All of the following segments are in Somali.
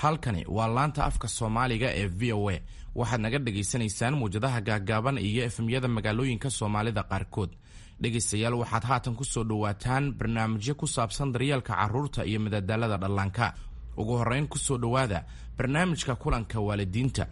Halkani waa laanta afka Soomaaliga ee VOA. Waxaad naga dhagaysanaysaan muwjadaha gaaggaaban iyo FM-yada magaalooyinka Soomaalida qaarkood. Dhegaystayaal, waxaad haatan ku soo dhowaataan barnaamijyo ku saabsan daryeelka carruurta iyo madadaalada dhallaanka. Ugu horrayn, ku soo dhowaada barnaamijka kulanka waalidiinta.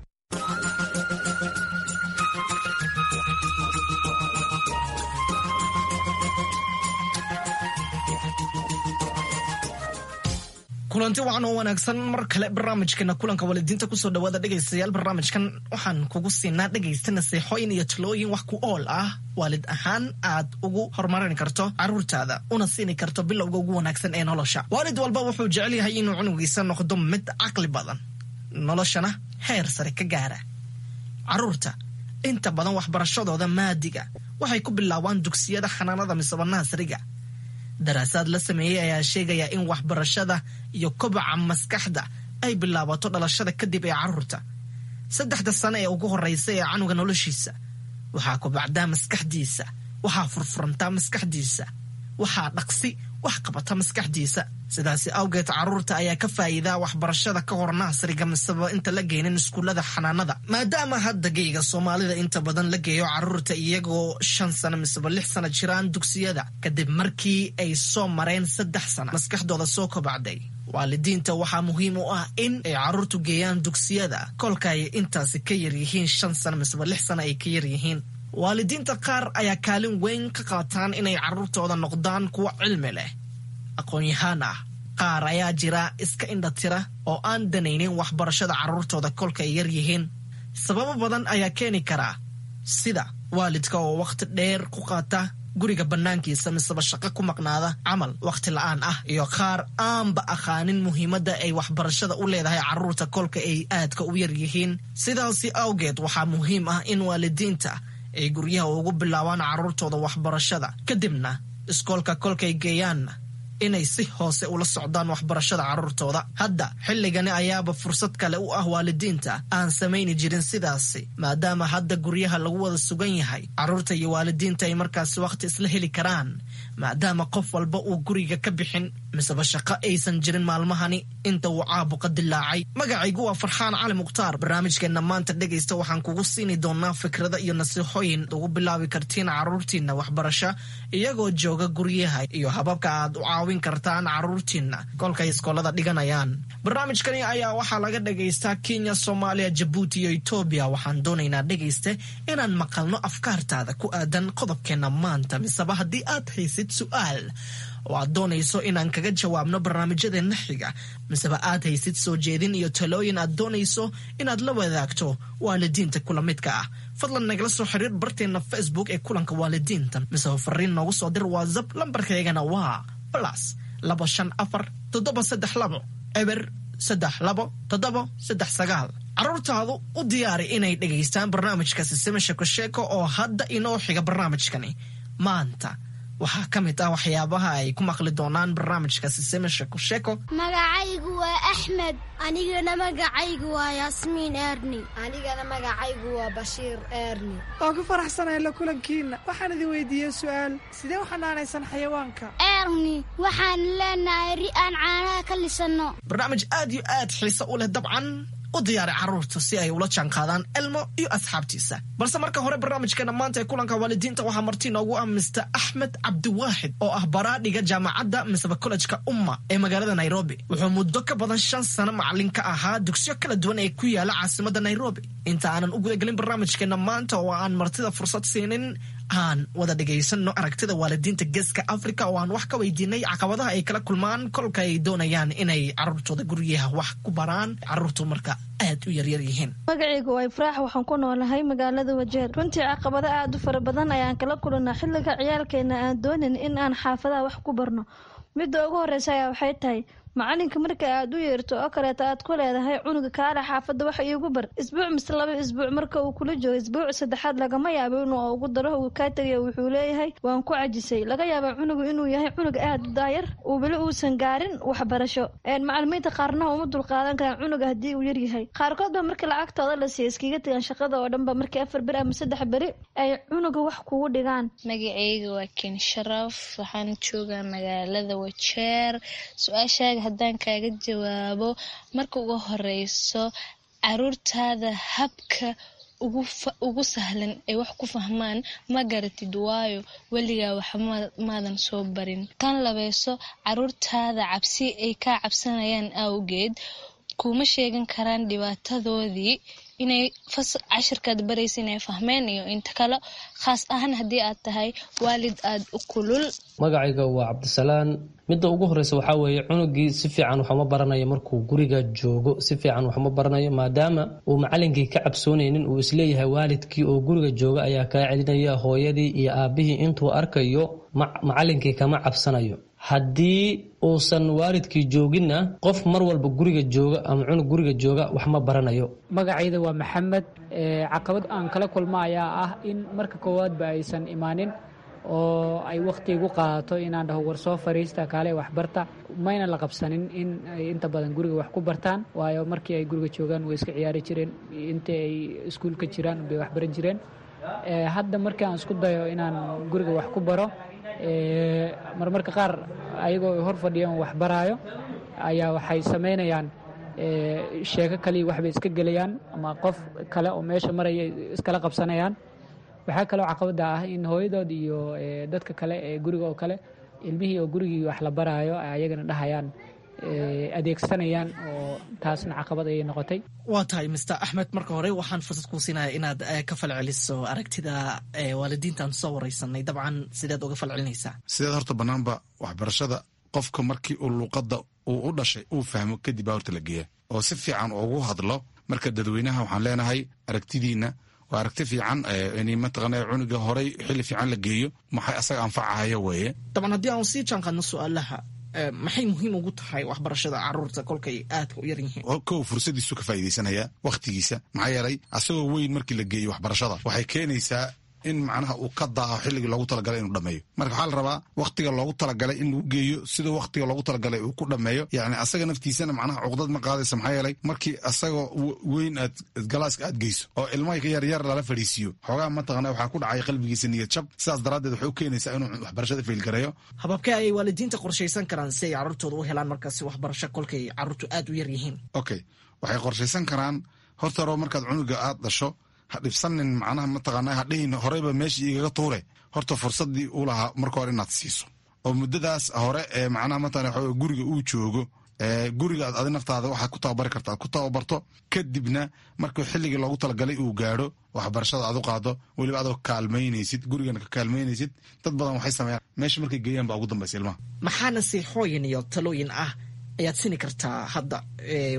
Kulanti wacan oo wanaagsan mar kale barnaamijkeena kulanka waalidiinta kusoo dhawaada, dhegaystayaal. Barnaamijkan waxaan kugu siinaa, dhegaysta, naseexooyin iyo talooyin wax ku ool ah, waalid ahaan aad ugu horumarin karto caruurtaada una siini karto bilowga ugu wanaagsan ee nolosha. Waalid walba wuxuu jecel yahay inuu cunugiisa noqdo mid caqli badan, noloshana heer sare ka gaara. Caruurta inta badan waxbarashadooda maadiga waxay ku bilaabaan dugsiyada xanaanada misaba naasriga. Daraasaad la sameeyey ayaa sheegaya in waxbarashada iyo kobaca maskaxda ay bilaabato dhalashada kadib ee caruurta. 3da sano ee ugu horeysa ee canuga noloshiisa waxaa kobacdaa maskaxdiisa, waxaa furfurantaa maskaxdiisa, waxaa dhaqsi wax qabata maskaxdiisa. Sidaasi awgeed, caruurta ayaa ka faa'iidaa waxbarashada ka hor naasriga miseba inta la geynin iskuullada xanaanada, maadaama hadda geyga Soomaalida inta badan la geeyo caruurta iyagoo 5 sano miseba 6 sano jiraan dugsiyada, kadib markii ay soo mareen 3 sano maskaxdooda soo kobacday. Waalidiinta waxaa muhiim u ah in ay caruurtu geeyaan dugsiyada kolka ay intaasi ka yaryihiin 5 sano miseba 6 sano ay ka yaryihiin. Waalidiinta qaar ayaa kaalin weyn ka qaataan inay caruurtooda noqdaan kuwo cilmi leh, aqoon-yahaan ah. Qaar ayaa jira iska indhatira oo aan danaynin waxbarashada carruurtooda kolka ay yar yihiin. Sababo badan ayaa keeni karaa, sida waalidka oo wakhti dheer ku qaata guriga bannaankiisa miseba shaqo ku maqnaada camal, wakhti la'aan ah, iyo qaar aanba aqaanin muhiimadda ay waxbarashada u leedahay carruurta kolka ay aadka u yar yihiin. Sidaasi awgeed, waxaa muhiim ah in waalidiinta ay guryaha ugu bilaabaan carruurtooda waxbarashada, kadibna iskoolka kolkay geeyaanna inay si hoose ula socdaan waxbarashada carruurtooda. Hadda xilligani ayaaba fursad kale u ah waalidiinta aan samayni jirin sidaasi, maadaama hadda guryaha lagu wada sugan yahay, carruurta iyo waalidiinta ay markaasi wakhti isla heli karaan, maadaama qof walba uu guriga ka bixin miseba shaqo aysan jirin maalmahani inta uu caabuqa dilaacay. Magacaygu waa Farxaan Cali Mukhtaar. Barnaamijkeenna maanta, dhegaysta, waxaan kugu siini doonaa fikrada iyo nasiixooyin ugu bilaabi kartiin carruurtiinna waxbarasho iyagoo jooga guryaha iyo hababka aad u caawin kartaan carruurtiinna kolkay iskoolada dhiganayaan. Barnaamijkani ayaa waxaa laga dhagaystaa Kenya, Soomaaliya, Jabuuti iyo Etoobiya. Waxaan doonaynaa, dhegayste, inaan maqalno afkaartaada ku aadan qodobkeenna maanta, miseba haddii aad haysid su'aal oo aad doonayso inaan kaga jawaabno barnaamijyadeenna xiga, miseba aad haysid soo jeedin iyo talooyin aad doonayso inaad la wadaagto waalidiinta kula midka ah, fadlan nagala soo xiriir barteenna Facebook ee kulanka waalidiinta, miseba fariin noogu soo dir WhatsApp. Lambarkaygana waa +254 732 032 739. Carruurtaadu u diyaari inay dhegaystaan barnaamijka Sisime Sheeko Sheeko oo hadda inoo xiga. Barnaamijkani maanta waxaa ka mid ah waxyaabaha ay ku maqli doonaan barnaamijka Sisime Sheeko Sheeko. Magacaygu waa Axmed. Anigana magacaygu waa Yaasmiin Eerni. Anigana magacaygu waa Bashiir Eerni. Waan ku faraxsanahay la kulankiinna. Waxaan idin weydiiyey su'aal: sidee u xanaanaysan xayawaanka? Eerni, waxaan leenahay ri aan caanaha ka lisanno. Barnaamij aad iyo aad xiise u leh dabcan. U diyaari carruurta si ay ula jaanqaadaan Elmo iyo asxaabtiisa. Balse marka hore, barnaamijkeena maanta ee kulanka waalidiinta waxaa marti noogu ah Mister Axmed Cabdiwaaxid oo ah baraadhiga jaamacadda miseba kollejka Umma ee magaalada Nairobi. Wuxuu muddo ka badan 5 sano macalin ka ahaa dugsiyo kala duwan ee ku yaala caasimadda Nairobi. Inta aanan u gudagelin barnaamijkeena maanta oo aan martida fursad siinin, aan wada dhagaysano aragtida waalidiinta Geeska Africa oo aan wax ka weydiinay caqabadaha ay kala kulmaan kolka ay doonayaan inay carruurtooda guryaha wax ku baraan, carruurtu marka aad u yaryar yihiin. Magacaygu waa Ifraax, waxaan ku noolahay magaalada Wajeer. Runtii caqabado aad u fara badan ayaan kala kulanaa xilliga ciyaalkeena aan doonin in aan xaafadaha wax ku barno. Midda ugu horeysa ayaa waxay tahay, macalinka marka aad u yeerto oo kaleeta aad ku leedahay cunuga kaale xaafadda wax iigu bar, isbuuc mise 2 isbuuc marka uu kula joogo, isbuuc saddexaad lagama yaabo inuu ugu daro, uu kaa tegayo. Wuxuu leeyahay waan ku cajisay. Laga yaaba cunugu inuu yahay cunug aad u daayar, uu weli uusan gaarin waxbarasho. Macalimiinta qaarna uma dulqaadan karaan cunuga haddii uu yaryahay. Qaarkood ba marka lacagtooda la siiya iskaga tegaan shaqada oo dhanba, markii 4 beri ama 3 beri ay cunuga wax kugu dhigaan. Magacayga waa Ken Sharaf, waxaan joogaa magaalada Wajeer. Su-aashaaga Haddaan kaaga jawaabo, marka ugu horeyso caruurtaada habka ugu sahlan ay wax ku fahmaan ma garatid, waayo weligaa wax maadan soo barin. Tan labeyso, caruurtaada cabsi ay kaa cabsanayaan awgeed kuma sheegan karaan dhibaatadoodii inay cashirkaad baraysa inay fahmeen iyo inta kale, khaas ahaan haddii aad tahay waalid aada u kulul. Magacayga waa Cabdisalaan. Midda ugu horeysa waxaa weeye, cunugii si fiican waxuma baranayo markuu guriga joogo, si fiican waxuma baranayo maadaama uu macalinkii ka cabsoonaynin, uu isleeyahay waalidkii oo guriga jooga ayaa kaa celinaya, hooyadii iyo aabihii intuu arkayo macalinkii kama cabsanayo. Haddii uusan waalidkii jooginna, qof mar walba guriga jooga ama cunug guriga jooga wax ma baranayo. Magacayda waa Maxamed. Caqabad aan kala kulma ayaa ah in marka koowaadba aysan imaanin oo ay wakhti igu qaadato inaan dhaho war soo fariista, kaale waxbarta. Mayna la qabsanin in ay inta badan guriga wax ku bartaan, waayo markii ay guriga joogaan way iska ciyaari jireen, intii ay iskuulka jiraan bay waxbaran jireen. Hadda markii aan isku dayo inaan guriga wax ku baro, marmarka qaar ayagoo hor fadhiyaan wax baraayo ayaa waxay samaynayaan sheeko kaliya, waxbay iska gelayaan ama qof kale oo meesha maraya iskala qabsanayaan. Waxaa kaloo caqabada ah in hooyadood iyo dadka kale ee guriga oo kale ilmihii oo gurigii wax la baraayo ayagana dhahayaan adeegsanayaan, oo taasna caqabad ayay noqotay. Waa tahay, Mister Axmed. Marka hore waxaan fursad kuu siinaya inaad ka falceliso aragtida waalidiintaan soo wareysanay. Dabcan, sideed uga falcelinaysaa? Sideed horta banaanba waxbarashada qofka markii uu luuqadda uu u dhashay uu fahmo kadib baa horta la geeya oo si fiican ugu hadlo. Marka dadweynaha waxaan leenahay, aragtidiina waa aragti fiican in mataqaana cunuga horay xilli fiican la geeyo, maxay asaga anfacahaya weeye. Dabcan, haddii aan sii jaanqaadno su-aalaha, maxay muhiim ugu tahay waxbarashada caruurta kolkay aadka u yar yihiin? Kow, fursadiisu ka faa'iidaysanaya wakhtigiisa, maxaa yeelay asagoo weyn markii la geeyo waxbarashada waxay keenaysaa in macnaha uu ka daaho xilligii loogu talagalay inuu dhameeyo. Marka waxaa la rabaa wakhtiga loogu talagalay in lagu geeyo, siduu wakhtiga loogu talagalay uu ku dhameeyo. Yacni asaga naftiisana macnaha cuqdad ma qaadaysa, maxaa yeelay markii asagoo weyn aad galaaska aad geyso oo ilmaha yaryar lala fadhiisiiyo, xoogaa mataqana waxaa ku dhacay qalbigiisa niyad jab. Sidaas daraaddeed waxay u keenaysaa inuu waxbarashada failgareeyo. Hababkee ayay waalidiinta qorshaysan karaan si ay carruurtooda u helaan markaasi waxbarasho kolkay carruurtu aad u yar yihiin? Okay, waxay qorshaysan karaan horta hore markaad cunuga aad dhasho, ha dhibsanin, macnaha mataqaana ha dhihin horeyba meeshii igaga tuure. Horta fursaddii uu lahaa marka hore inaad siiso oo muddadaas hore ee macnaha mataqana waxa guriga uu joogo, guriga aad adi naftaada waxaad ku tababari karta aad ku tababarto. Kadibna markuu xilligii loogu talagalay uu gaadho, waxbarashada aad u qaado, weliba adoo kaalmaynaysid, gurigana ka kaalmaynaysid. Dad badan waxay sameeyaan meesha markay geeyaan baa ugu dambaysa ilmaha. Maxaa nasiixooyin iyo talooyin ah ayaad sini kartaa hadda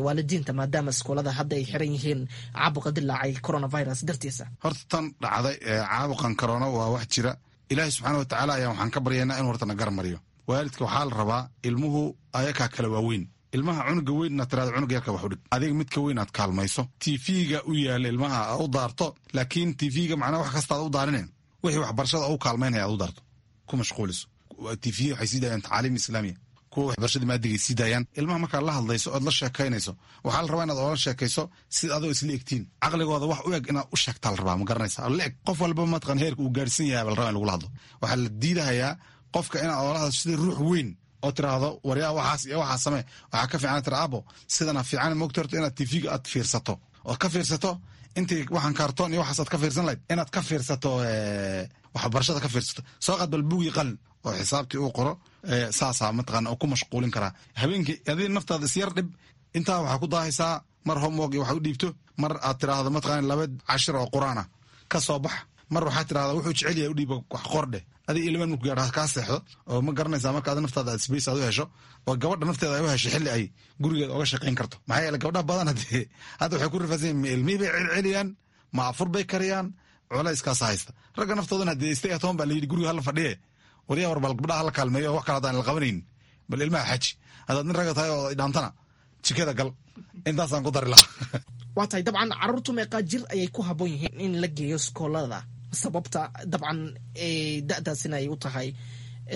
waalidiinta, maadaama iskoolada hadda ay xiran yihiin caabuqa dilaacay coronavirus dartiisa? Horta tan dhacday caabuqan corona waa wax jira. Ilaahay subxaana watacaala ayaa waxaan ka baryaynaa inuu horta na garmariyo. Waalidka waxaa la rabaa ilmuhu ayakaa kala waaweyn. Ilmaha cunuga weyn inaad tirahdo cunuga yarka wax u dhig, adiga midka weyn aad kaalmayso, TV-ga u yaala ilmaha u daarto, laakiin TV-ga macnaha wax kasta aad u daarinen, wixii waxbarashada u kaalmaynaya aad u daarto, ku mashquuliso. TV waxay sii daayaan tacaaliim islaamiya, kuwa waxbarashada maadigay sii daayaan. Ilmaha markaad la hadlayso ood la sheekaynayso, waxaa la rabaa inaad oola sheekayso sida adoo isla egtiin, caqligooda wax u eg inaad u sheegtaa la rabaa, ma garanaysa? La eg qof walba mataqan heerka uu gaarhsan yahay baa la rabaa in lagula hadlo. Waxaa la diidahayaa qofka inaad oola hadasho sida ruux weyn oo tiraahdo waryaa waxaas iyo waxaa samee. Waxaa ka fiican tira abo sidana fiican moogta, horta inaad TV-ga aad fiirsato ood ka fiirsato intii waxaan kaartoon iyo waxaas aad ka fiirsan lahayd, inaad ka fiirsato waxbarashada ka fiirsato. Soo qaad bal buugii qalin oo xisaabtii uu qoro. Saasaa mataqaana oo ku mashquulin karaa habeenkii. Adiga naftaada isyar dhib, intaa waxaa ku daahaysaa mar homework iyo waxa u dhiibto, mar aad tiraahdo mataqaana laba cashir oo qur-aan ah ka soo bax, mar waxaa tirahdaa wuxuu jecel yahay u dhiiba wax qordheh. Adiga ilmaan marku gaadho kaa seexdo oo ma garanaysaa. Marka adi naftaada aad space aad u hesho oo gabadha nafteeda ay u hesho xilli ay gurigeeda oga shaqayn karto, maxaa yeele gabdhaha badan hadee hadda waxay ku rifaasan yihin, ma ilmihii bay celceliyaan, ma afur bay kariyaan, culayskaasa haysta. Ragga naftoodana hadee stay at home baa la yidhi, guriga hala fadhiye. Waryaa, war bal gabdhaha hala kaalmeeyo, wax kale haddaan la qabanayn bal ilmaha xaji. Haddaad nin ragga tahay oo dhaantana, jikada gal. Intaasaan ku dari lahaa. Waa tahay. Dabcan, carruurtu meeqaa jir ayay ku habboon yihiin in la geeyo iskoolada? Sababta dabcan da'daasina ay u tahay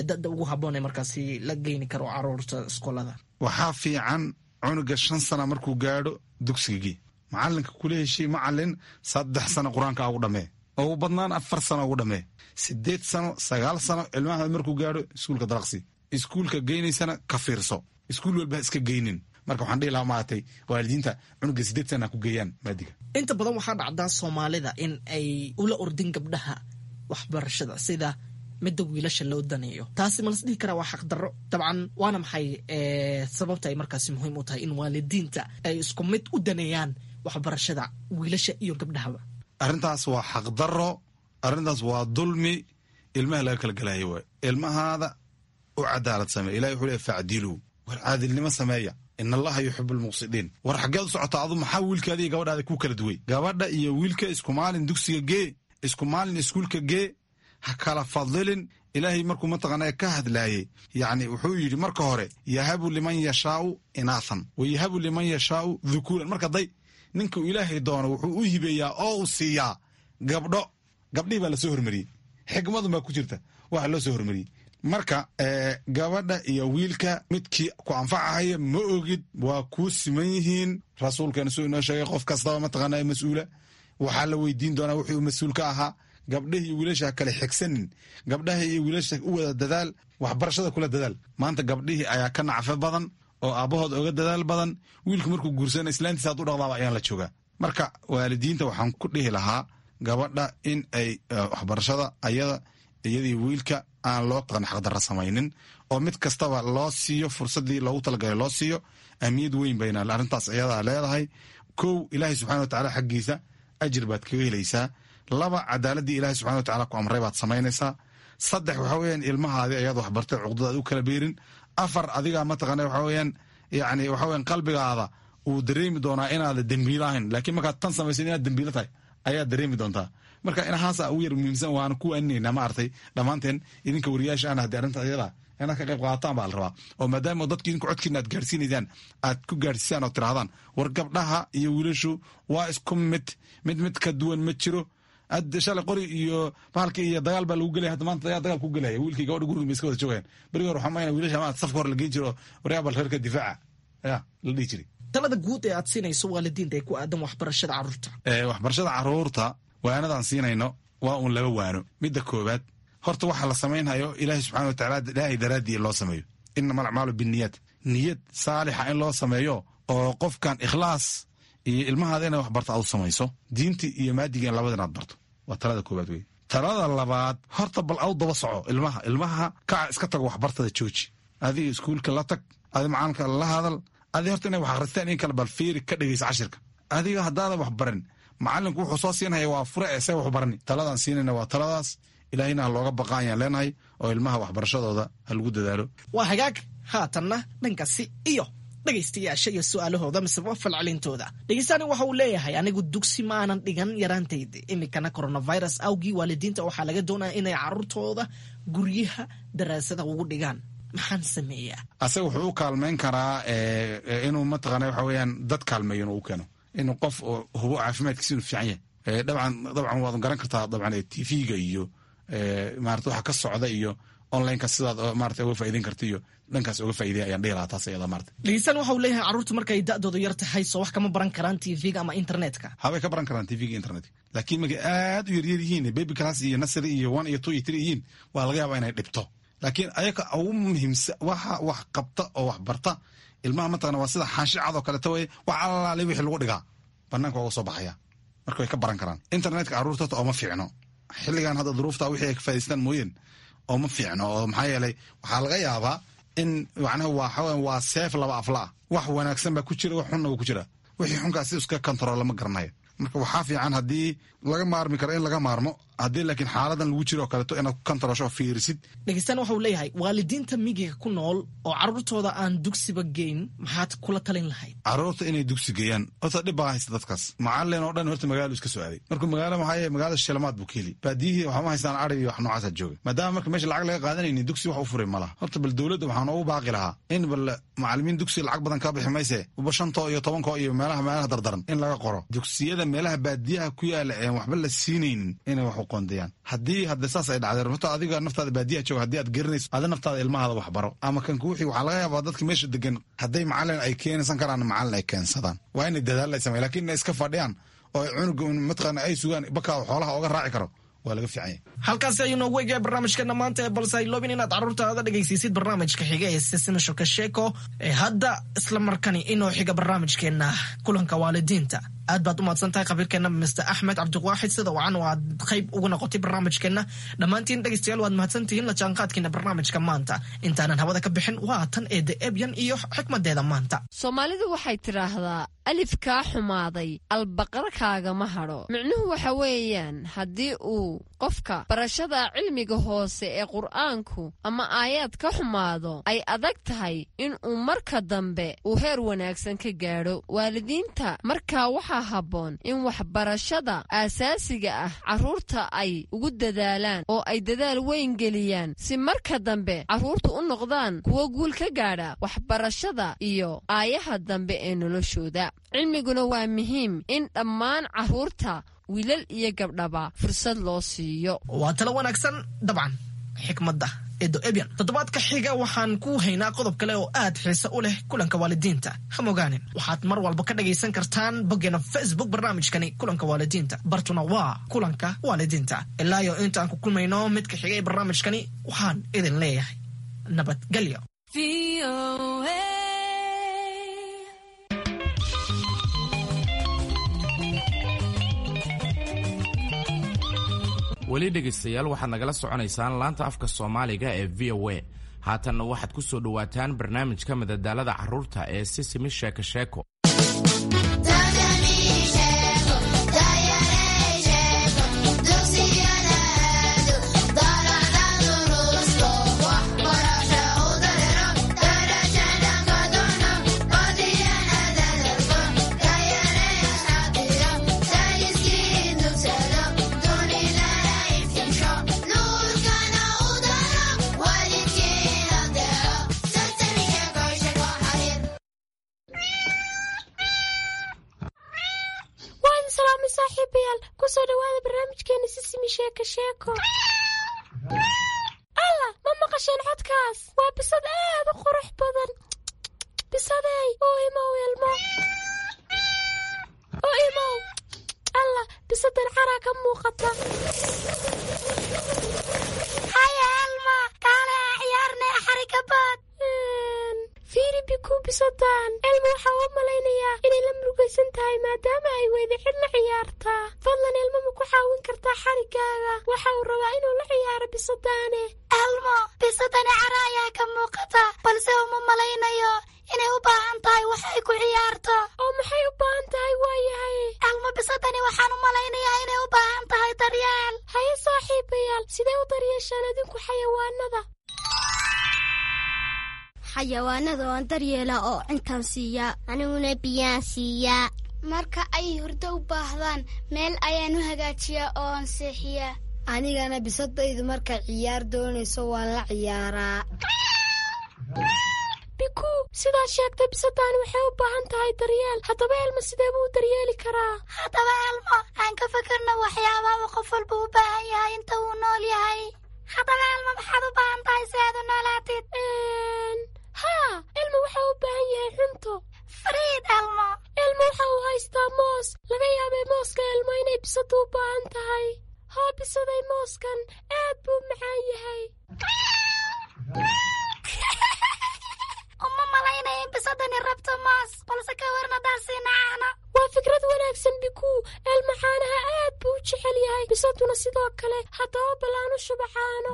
da'da ugu habboon ee markaasi la geyni karo caruurta iskoolada? Waxaa fiican cunuga 5 sana markuu gaadho dugsigagii, macalinka kula heshiy, macalin 3 sano qur-aanka ugu dhamee, ugu badnaan 4 sano ugu dhamee. 8 sano, 9 sano ilmaha markuu gaadho iskuulka dalaqsi, iskuulka geynaysana ka fiirso. Iskuul walba ha iska geynin. Marka waxaan dhihi lahaa maaragtay waalidiinta cunuga 8 sana ku geeyaan maadiga. Inta badan waxaa dhacdaa Soomaalida in ay ula ordin gabdhaha waxbarashada sida midda wiilasha loo daneeyo. Taasi ma las dhihi karaa waa xaqdarro? Dabcan, waana maxay sababta ay markaasi muhiim u tahay in waalidiinta ay isku mid u daneeyaan waxbarashada wiilasha iyo gabdhahaba? Arrintaas waa xaqdarro, arrintaas waa dulmi ilmaha laga kala gelayo waay. Ilmahaada u cadaalad sameeya. Ilahi wuxuu leey facdiluu, war caadilnimo sameeya, in allaha yuxibu almuqsidiin. War xaggeed u socotaa adu? Maxaa wiilkaada iyo gabadhaada ku kala duway? Gabadha iyo wiilka isku maalin dugsiga gee, isku maalin iskuulka gee, ha kala fadilin. Ilaahay markuu mataqaanaa ka hadlaayey, yacni wuxuu yidhi marka hore yahabu liman yashaau inaathan wa yahabu liman yashaau dhukuuran. Marka day ninkuu Ilaahay doono wuxuu u hibeeyaa oo uu siiyaa gabdho. Gabdhihii baa lasoo hormariyey, xikmadun baa ku jirta waxa loo soo hormariyey. Marka gabadha iyo wiilka midkii ku anfacahaya ma ogid, waa kuu siman yihiin. Rasuulkeena suu inoo sheegay, qof kastaba mataqaanaa mas-uula waxaa la weydiin doonaa wuxuu uu mas-uul ka ahaa. Gabdhaha iyo wiilasha ha kale xigsanin, gabdhaha iyo wiilasha u wada dadaal, waxbarashada kula dadaal. Maanta gabdhihii ayaa ka nacfo badan oo aabbahood oga dadaal badan. Wiilku markuu guursana islaantiisa had u dhaqdaaba ayaan la joogaa. Marka waalidiinta waxaan ku dhihi lahaa gabadha in ay waxbarashada ayada iyadii wiilka aan loo xaqdarra samaynin, oo mid kastaba loo siiyo fursadii loogu talagalay loo siiyo. Ahmiyad weyn bayna arrintaas iyadaa leedahay. Kow, Ilaahay subxana watacaala xaggiisa ajir baad kaga helaysaa. Laba, cadaaladii Ilahay subxana watacala ku amray baad samaynaysaa. Saddex, waxa weeyaan ilmahaadi ayaad waxbartay cuqdadaad u kala beerin. Afar, adigaa mataqaana waxa weeyaan yacni waxa weeyaan qalbigaada uu dareemi doonaa inaada dembiilo ahayn, laakiin markaad tan samaysid inaad dembiilo tahay ayaad dareemi doontaa. Marka inahaasa ugu yar muhiimsan, waana ku waaninayna maaragtay dhammaanteen idinka wariyaasha ana haddii arrinta iyada inaad ka qayb qaadataan baa la rabaa, oo maadaama dadki idinku codkiina aad gaarsiinaysaan aad ku gaarsiisaan oo tirahdaan war gabdhaha iyo wiilashu waa isku mid, mid mid ka duwan ma jiro. Shalay qori iyo bahalka iyo dagaal baa lagu gelaya, hadda maanta dagaal ku gelaya. Wiilkii gabadha guriga bay iska wada joogayaan. Berigi hore waxaa mayna wiilasha ma safka hore la geyn jiro, waryaa bal reerka difaaca ya la dhihi jiray. Talada guud ee aad siinayso waalidiinta ee ku aadan waxbarashada carruurta? Waxbarashada carruurta waanadaan siinayno waa uun laba waano. Midda koowaad, horta waxa la samaynhayo Ilaahay subxana watacaala Ilaahay daraaddii loo sameeyo. Inama alacmaalu binniyaat, niyad saalixa in loo sameeyo oo qofkan ikhlaas iyo ilmahaada inay wax barto aad u samayso, diinta iyo maadiga in labada inaad barto, waa talada koowaad wey. Talada labaad, horta bal aw daba soco ilmaha. Ilmaha kaca iska tago, waxbartada jooji, adiga iskuulka la tag, adi macalinka la hadal, adi horta inay wax akhristaan in kale bal fiiri, ka dhegeysa cashirka. Adiga haddaadan wax barin, macalinku wuxuu soo siinhaya waa fure ee see wax barani. Taladaan siinayna waa taladaas. Ilaahayna ha looga baqa ayaan leenahay, oo ilmaha waxbarashadooda ha lagu dadaalo. Waa hagaag. Haatanna dhankaasi iyo dhegaystayaasha iyo su-aalahooda miseba falcelintooda. Dhegeystaani waxa uu leeyahay, anigu dugsi ma aanan dhigan yaraantayda, iminkana coronavirus awgii waalidiinta waxaa laga doonaya inay carruurtooda guryaha daraasada ugu dhigaan, maxaan sameeyaa? Asaga wuxuu u kaalmayn karaa inuu mataqaana waxa weeyaan dad kaalmeeyo, inuu u keeno inuu qof oo hubo caafimaadkiisa inuu fiican yahay. Dabcan dabcan waad garan kartaa, dabcan TV-ga iyo maarata waxa ka socda iyo onlineka sidaad maarata uga faa'iideyn karta iyo dhankaas uga faa'iideya ayaan dhihi lahaa taas iyada maarata. Dhegeystaan waxa uu leeyahay, carruurtu markay da'doodu yar tahay soo wax kama baran karaan TV-ga ama internetka? Habay ka baran karaan TV-ga internetka, laakiin markay aad u yaryar yihiin, baby class iyo nursery iyo 1 iyo 2 iyo 3 yihiin, waa laga yaabaa inay dhibto. Laakiin ayaga ugu muhiimsan waxa wax qabta oo wax barta ilmaha mataqana waa sida xaashi cad oo kaleeto wey, wax allaale wixii lagu dhigaa banaanka waa uga soo baxaya. Marka way ka baran karaan internetka carruurta ooma fiicno xilligan hadda duruufta wixii ay ka faa'idaystaan mooyeen, ooma fiicno, oo maxaa yeelay waxaa laga yaabaa in macnaha waa waa seef laba afla ah, wax wanaagsan baa ku jira, wax xunna waa ku jira, wixii xunkaas si iska kontarool lama garanayo. Marka waxaa fiican haddii laga maarmi karo in laga maarmo, haddii laakiin xaaladan lagu jiro oo kaleeto inaad ku kontaroosho oo fiirisid. Dhegeystaan waxa uu leeyahay, waalidiinta miyiga ku nool oo carruurtooda aan dugsiba geyn maxaad kula talin lahayd? Carruurta inay dugsi geeyaan horta dhib baa haysta dadkaas. Macalin oo dhan horta magaalo iska soo aaday, markuu magaalo maxaa yeele magaalada shilamaad buu ka heli, baadiyihii waxma haystaan, ari iyo wax noocaasaa jooga. Maadaama marka meesha lacag laga qaadanaynin, dugsi wax u furay ma laha. Horta bal dowladda waxaan ugu baaqi lahaa in bal macalimiin dugsi lacag badan kaa bixi mayse, uba shantoo iyo tobankoo iyo meelaha meelaha dardaran in laga qoro dugsiyada meelaha baadiyaha ku yaala een waxba la siinaynin inay wax u qoondayaan. Haddii hadda saas ay dhacdeen, horta adiga naftaada baadiyaha jooga haddii aad garanayso, ada naftaada ilmahaada wax baro ama kan kuwixii. Waxaa laga yaabaa dadka meesha degan hadday macalin ay keensan karaan, macalin ay keensadaan, waa inay dadaal ay sameyan, lakin inay iska fadhiyaan oo ay cunuga mataqaana ay sugaan bakaa xoolaha oga raaci karo Waa laga fiican yahay. Halkaasi ayuu noogu eegaya barnaamijkeena maanta ee balse hayloobin inaad carruurtaada dhegaysiisid barnaamijka xiga ee Sisima Shoka Sheeko ee hadda isla markani inoo xiga barnaamijkeena kulanka waalidiinta. Aad baad u mahadsan tahay khabiirkeena Mr Axmed Cabdiwaaxid, sida wacan oo aad qayb uga noqotay barnaamijkeenna. Dhammaantiin dhegaystayaal waad mahadsantihiin la jaanqaadkiina barnaamijka maanta. Intaanan hawada ka bixin, waa tan eedda Ebyan iyo xikmadeeda maanta. Soomaalidu waxay tidhaahdaa, alif kaa xumaaday albaqarkaagama hadho. Micnuhu waxa weeyaan, haddii uu qofka barashada cilmiga hoose ee Qur'aanku ama aayaad ka xumaado, ay adag tahay in uu marka dambe uu heer wanaagsan ka gaadho. Waalidiinta markaa waxaa habboon in waxbarashada aasaasiga ah carruurta ay ugu dadaalaan oo ay dadaal weyn geliyaan, si marka dambe carruurtu u noqdaan kuwo guul ka gaadha waxbarashada iyo aayaha dambe ee noloshooda. Cilmiguna waa muhiim in dhammaan carruurta, wiilal iyo gabdhaba, fursad loo siiyo. Waa talo wanaagsan dabcan xikmadda Edo Ebyan. Toddobaadka xiga waxaan ku haynaa qodob kale oo aad xiise u leh kulanka waalidiinta. Ha mogaanin, waxaad mar walba ka dhagaysan kartaan boggeena Facebook barnaamijkani kulanka waalidiinta. Bartuna waa kulanka waalidiinta. Ilaa iyo intaan ku kulmayno midka xiga ee barnaamijkani, waxaan idin leeyahay nabadgelyo. Weli dhegaystayaal, waxaad nagala soconaysaan laanta afka Soomaaliga ee VOA. Haatanna waxaad ku soo dhowaataan barnaamijka madadaalada carruurta ee Sisimi Sheeko Sheeko. Waan salaamay saaxiibayaal, kusoo dhawaada barnaamijkeena Sisimi Sheeko Sheeko. Alla, ma maqasheen codkaas? Waa bisad aad u qurux badan. Bisadey, oo imow ilmo, oo imow. Alla, bisadan caraa ka muuqata. Haya Elma, kaale ciyaarne xarikabaad. Fiiri Biku, bisadan Elma waxaa u malaynayaa inay la murugaysan tahay maadaama ay weyda cid la ciyaartaa. Fadlan Elma, ma ku caawin kartaa xarigaaga? Waxa uu rabaa inuu la ciyaaro bisadaane. Elmo, bisadani cara ayaa ka muuqata, balse uma malaynayo inay u baahan tahay wax ay ku ciyaarto. Oo maxay u baahan tahay waayahay? Elmo, bisadani waxaan u malaynayaa inay u baahan tahay daryeel. Haye saaxiibayaal, sidee u daryeeshaan adinku xayawaanada? Xayawaanada waan daryeelaa oo cintaan siiyaa. Aniguna biyaan siiyaa. Marka ay hurdo u baahdaan, meel ayaan u hagaajiyaa oo aan seexiyaa. Anigana bisadaydu markay ciyaar doonayso waan la ciyaaraa. Biku, sidaad sheegtay, bisadani waxay u baahan tahay daryeel. Haddaba Elma, sidee buu u daryeeli karaa? Haddaba Elmo, aan ka fikirno waxyaabaha uu qof walba u baahan yahay inta uu nool yahay. Haddaba Elmo, maxaad u baahan tahay si aad u noolaatid? Haa, Elmo waxa uu u baahan yahay cunto. Fariid Elmo. Elmo waxa uu haystaa moos. Laga yaabay mooska Elmo inay bisadu u baahan tahay. Haa bisaday, mooskan aad buu macaan yahay. Uma malaynaya in bisadani rabto moos, balse ka warna daarsiina caano. Waa fikrad wanaagsan Biku. Elmo caanaha aad buu u jecel yahay, bisaduna sidoo kale. Haddaba bal aan u shuba caano.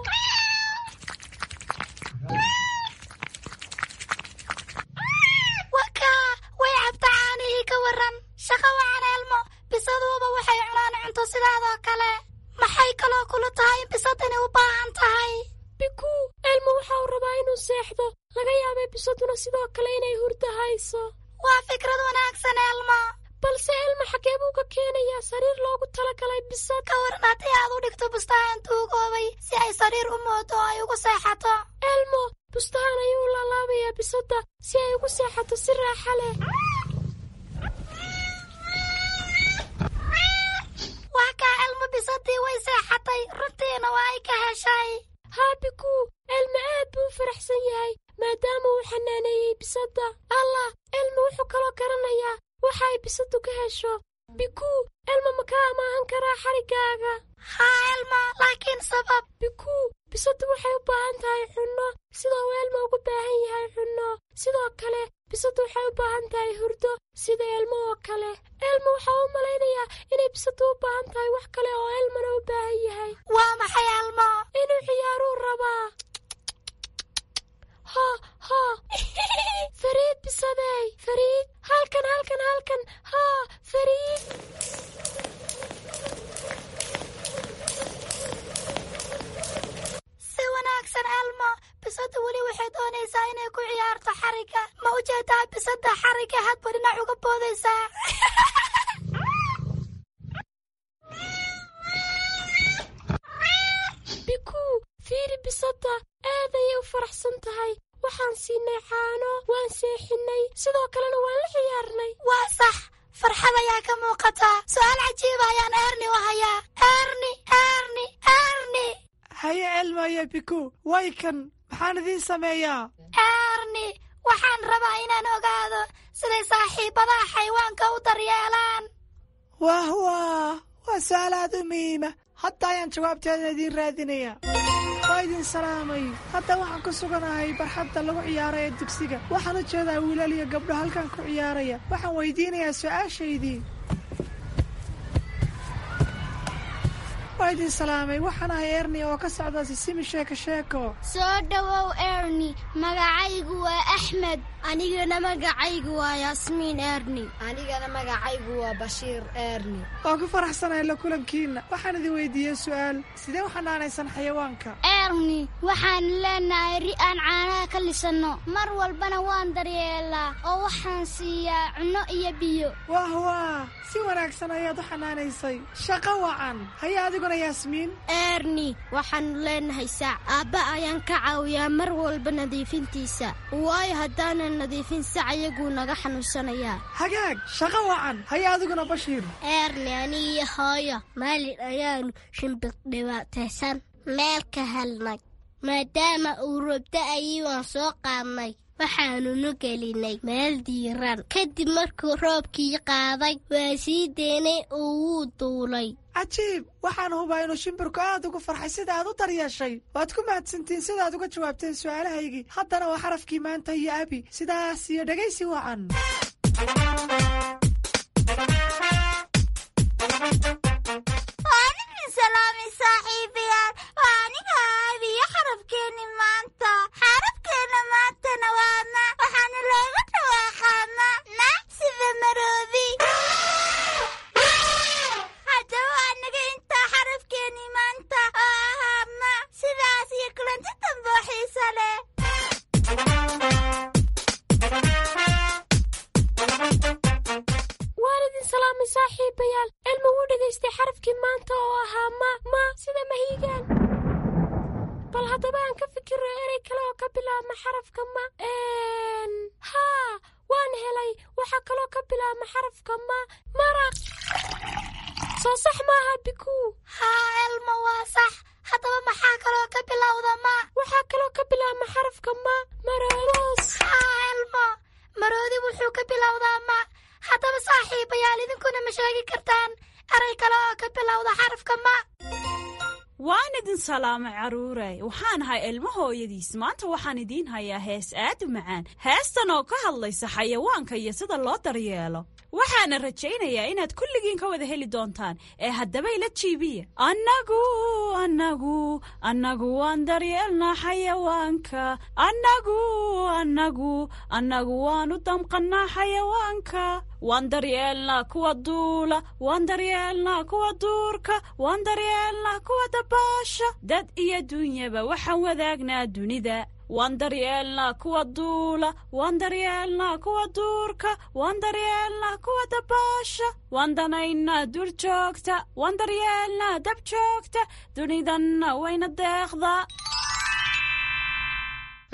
Wakaa, way cabta caanihii, ka waran? Shaqo wacan Elmo, bisaduuba waxay cunaan cunto sidaadoo kale. Maxay kaloo kula tahay in bisadani u baahan tahay? Biku, Elmo waxa uu rabaa inuu seexdo. Laga yaabay bisaduna sidoo kale inay hurdo hayso. Waa fikrad wanaagsan Elmo. Balse Elmo, xagee buu ka keenayaa sariir loogu talagalay bisad? Ka waran haddii aad u dhigto bustahan tuugoobay si ay sariir u moodo oo ay ugu seexato? Elmo bustahan ayuu u laalaabayaa bisadda si ay ugu seexato si raaxa leh. Waa kaa Elmo, bisadii way seexatay, runtiina waa ay ka heshay. Haa Biku, Elmo aad buu u faraxsan yahay maadaama uu xanaaneeyey bisadda. Allah, Elmo wuxuu kaloo garanayaa waxa ay bisaddu ka hesho. Biku, Elmo ma ka amaahan karaa xarigaaga? Haa Elmo, laakiin sabab? Bikuu, bisadu waxay u baahan tahay cunno sida uu Elmo ugu baahan yahay cunno. Sidoo kale bisadu waxay u baahan tahay hurdo sida Elmo oo kale. Elmo waxaa u malaynayaa inay bisadu u baahan tahay wax kale oo Elmona u baahan yahay. Waa maxay Elmo? Inuu ciyaaruu rabaa. Ha ha, Fariid bisadey, Fariid, halkan halkan halkan, haa Fariid. Si wanaagsan Elmo, bisadu weli waxay doonaysaa inay ku ciyaarto xarigga. Ma u jeedaa bisada xarigga hadba dhinac uga boodaysaa? Bikuu, fiiri bisada, aad ayay u faraxsan tahay. Waxaan siinay caano, waan seexinay, sidoo kalena waan la ciyaarnay. Waa sax, farxad ayaa ka muuqataa. Su'aal cajiiba ayaan Erni u hayaa. Erni, Erni, Erni. Haye Elmo iyo Biku, way kan, maxaan idiin sameeyaa? Erni, waxaan rabaa inaan ogaado siday saaxiibadaha xayawaanka u daryeelaan. Wah wah, waa su'aal aad u muhiima. Hadda ayaan jawaabteeda idiin raadinayaa. Waa idin salaamay. Hadda waxaan ku suganahay barxadda lagu ciyaaro ee dugsiga. Waxaan u jeedaa wiilal iyo gabdho halkan ku ciyaaraya. Waxaan weydiinayaa su'aashaydii. Waa idin salaamay. Waxaan ahay Erni oo ka socda Sisimi Sheeko Sheeko. Soo dhowow Erni, magacaygu waa Axmed. Anigana magacaygu waa Yaasmiin Erni. Anigana magacaygu waa Bashiir Erni. Waan ku faraxsanahay la kulankiina. Waxaan idin weydiiyey su'aal. Sidee u xanaanaysan xayawaanka? Erni, waxaan leenahay ri aan caanaha ka lisanno. Mar walbana waan daryeelaa oo waxaan siiyaa cunno iyo biyo. Wah wah, si wanaagsan ayaad u xanaanaysay. Shaqo wacan. Haye adiguna Yaasmiin. Erni, waxaanu leenahay sac. Aabba ayaan ka caawiyaa mar walba nadiifintiisa. Waayo haddaanan nadiifin sac ayaguu naga xanuunsanayaa. Hagaag, shaqo wacan. Haye adiguna Bashiir. Erni, aniyo hooyo maalin ayaanu shimbir dhibaataysan meel ka helnay. Maadaama uu roob da'ayay waan soo qaadnay. Waxaanunu gelinay meel diiran. Kadib markuu roobkii qaaday waa sii deynay oo wuu duulay. Cajiib, waxaan hubaa inuu shimbirku aad ugu farxay sida aad u daryeeshay. Waad ku mahadsantiin sida aad uga jawaabteen su'aalahaygii. Haddana waa xarafkii maanta iyo Abi. Sidaas iyo dhegaysi wacan. Waa idin salaamay saaxiibayaal. Waa aniga Abi iyo xarafkeeni maanta. Xarafkeena maantana waa ma. Waxaana looga dhawaaqaa ma. Ma sida maroobi. Haddaba anaga intaa xarafkeeni maanta oo ahaa ma. Sidaas iyo kulanti dambe oo xiiso leh. Waan idin salaamay saaxiibayaal. Elmo wuu dhegaystay xarafkii maanta oo ahaa ma, ma sida mahiigaan. Bal haddaba aan ka fikiro erey kale oo ka bilaabma xarafka ma. Haa, waan helay. Waxaa kaloo ka bilaabma xarafka ma, maraq. Soo sax maaha Bikuu? Haa Elmo, waa sax. Haddaba maxaa kaloo ka bilowda ma? Waxaa kaloo ka bilaabma xarafka ma, maroos. Haa Elmo, maroodi wuxuu ka bilowdaa ma. Haddaba saaxiibayaal, idinkuna ma sheegi kartaan eray kale oo ka bilowda xarafka ma? Waan idin salaamay carruuray. Waxaan ahay Elmo hooyadiis. Maanta waxaan idiin hayaa hees aad u macaan, heestan oo ka hadlaysa xayawaanka iyo sida loo daryeelo. Waxaana rajaynayaa inaad kulligiin ka wada heli doontaan ee haddaba ila jiibiya. Annagu annagu annagu waan daryeelnaa xayawaanka. Annagu annagu annagu waan u damqannaa xayawaanka. Waan daryeelnaa kuwa duula, waan daryeelnaa kuwa duurka, waan daryeelnaa kuwa dabaasha. Dad iyo dunyaba waxaan wadaagnaa dunida. Waan daryeelnaa kuwa duula, waan daryeelnaa kuwa duurka, waan daryeelnaa kuwa dabaasha. Waan danaynaa duur joogta, waan daryeelnaa dab joogta, dunidanna wayna deeqdaa.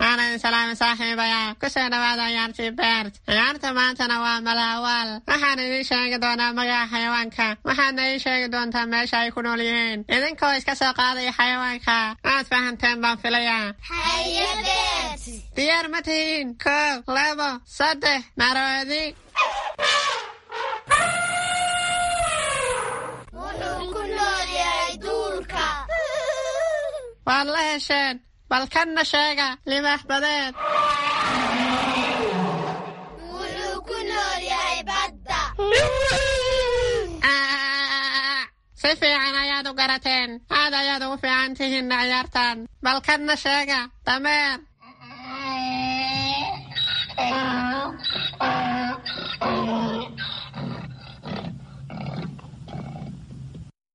Waanan salaamay saaxiibayaal. Ku soo dhawaada ciyaartii Beert. Ciyaarta maantana waa malaawaal. Waxaan idiin sheegi doonaa magaca xayawaanka. Waxaadna ii sheegi doontaa meesha ay ku nool yihiin. Idinkoo iska soo qaadaya xayawaanka. Waad fahanteen baan filayaa. Haye Beert. Diyaar ma tihiin? 1, 2, 3, maroodi. Wuxuu ku nool yahay duur. Waad la hesheen. Bal kanna sheega, libaax badeed. Wuxuu ku nool yahay badda. Si fiican ayaad u garateen. Aad ayaad ugu fiican tihiin ciyaartan. Bal kanna sheega, dameer.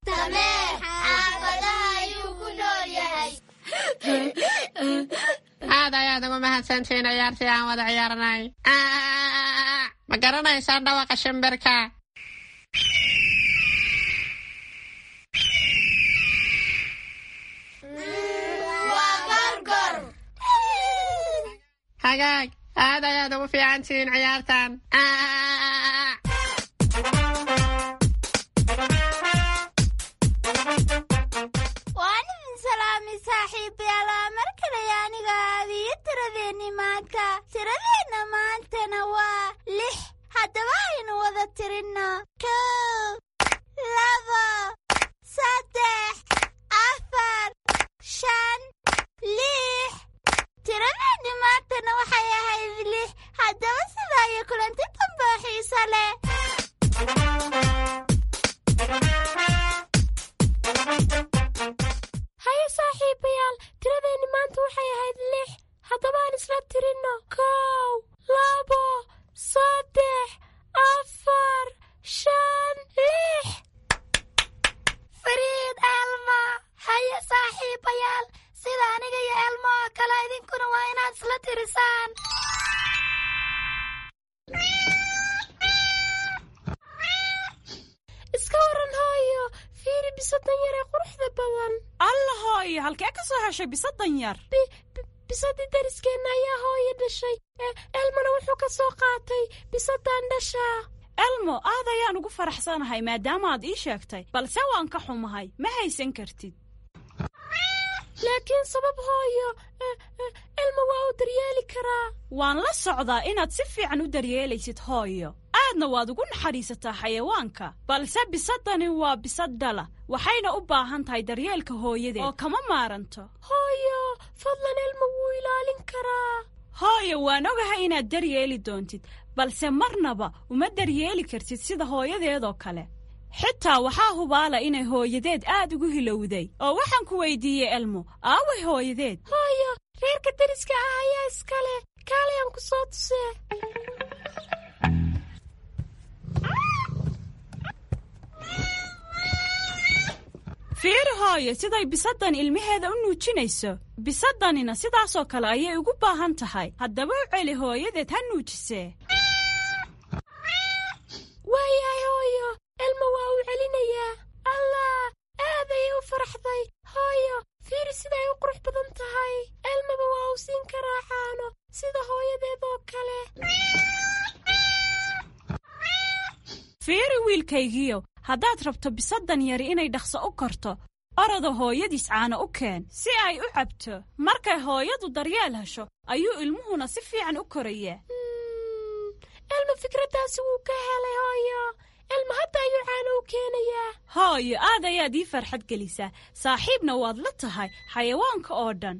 Dameer xaafadaha ayuu ku nool yahay. Aad ayaad ugu mahadsantihiin ciyaartii aan wada ciyaarnay. Ma garanaysaan dhawaqa shimbirka? Waa gorgor. Hagaag, aad ayaad ugu fiican tihiin ciyaartan. Waan idin salaamay saaxiibayaal. Waa mar kale aniga aabiyo tiradeenni maanta. Tiradeenna maantana waa 6. Haddaba aynu wada tirinno: 1, 2, 3, 4, 5, 6. Tiradeenni maantana waxay ahayd 6. Haddaba sidaa iyo kulanti dambe oo xiiso leh. Haye saaxiibayaal, tiradeenni maanta waxay ahayd 6. Haddaba aan isla tirinno: 1, 2, 3, 4, 5, 6. Fariid Elmo. Haye saaxiibayaal, sida aniga iyo Elmo oo kale idinkuna waa inaad isla tirisaan. Iska waran hooyo, fiiri bisadan yar ee quruxda badan. Alla hooyo, halkee ka soo heshay bisadan yar? Bisadii dariskeenna ayaa hooyo dhashay. Elmona wuxuu ka soo qaatay bisadan dhashaa. Elmo, aad ayaan ugu faraxsanahay maadaama aad ii sheegtay, balse waan ka xumahay, ma haysan kartid. Laakiin sabab hooyo? Elmo waa uu daryeeli karaa. Waan la socdaa inaad si fiican u daryeelaysid hooyo, aadna waad ugu naxariisataa xayawaanka, balse bisadani waa bisad dhala, waxayna u baahan tahay daryeelka hooyadeed oo kama maaranto. Hooyo, fadlan, Elmo wuu ilaalin karaa. Hooyo, waan ogahay inaad daryeeli doontid, balse marnaba uma daryeeli kartid sida hooyadeedoo kale. Xitaa waxaa hubaala inay hooyadeed aad ugu hilowday. Oo waxaan ku weydiiyey Elmo, aaway hooyadeed? Hooyo, reerka dariska ah ayaa iskale. Kaalayaan ku soo tusee. Fiiri hooyo, siday bisaddan ilmaheeda u nuujinayso. Bisaddanina sidaasoo kale ayay ugu baahan tahay. Haddaba u celi hooyadeed ha nuujisee. Waayahay hooyo, Elmo waa uu celinayaa. Allah, aad ayay u faraxday. Hooyo, fiiri siday u qurux badan tahay. Elmaba waa uu siin karaa caano sida hooyadeed oo kale. Fiiri wiilkaygiyo, haddaad rabto bisaddan yari inay dhaqso u korto, orada hooyadiis caano u keen si ay u cabto. Markay hooyadu daryeel hesho ayuu ilmuhuna si fiican u korayaa. Elmo fikraddaasi wuu ka helay hooyo. Elmo hadda ayuu caano u keenayaa. Hooyo, aad ayaad ii farxad gelisaa, saaxiibna waad la tahay xayawaanka oo dhan.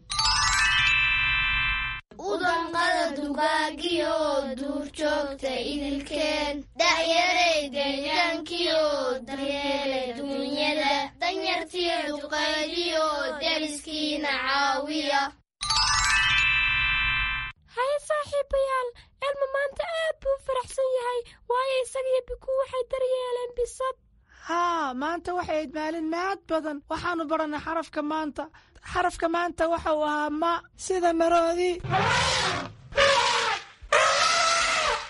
Udanqada dugaagiyo duurjoogta idilkeen, dhacyarey deegaankiyo daryeela duunyada, danyartiyo duqaydiyo deriskiina caawiya. Haye saaxiibayaal, Elmo maanta aad buu u faraxsan yahay, waayo isaga iyo Biku waxay daryeeleen bisad. Haa, maanta waxay ahayd maalin mahad badan. Waxaannu barannay xarafka maanta. Xarafka maanta waxa uu ahaa ma, sida maroodi.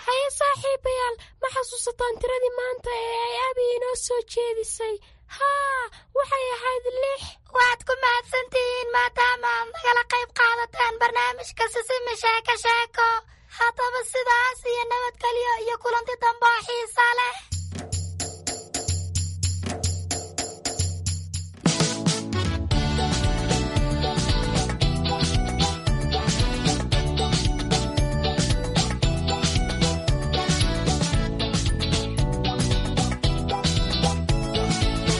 Haye saaxiibayaal, ma xasuusataan tiradii maanta ee ay Abi inoo soo jeedisay? Haa, waxay ahayd 6. Waad ku mahadsantihiin maadaama aad nagala qayb qaadataan barnaamijka Sisimi Sheeko Sheeko. Haddaba sidaas iyo nabadgelyo iyo kulanti dambe oo xiisa leh.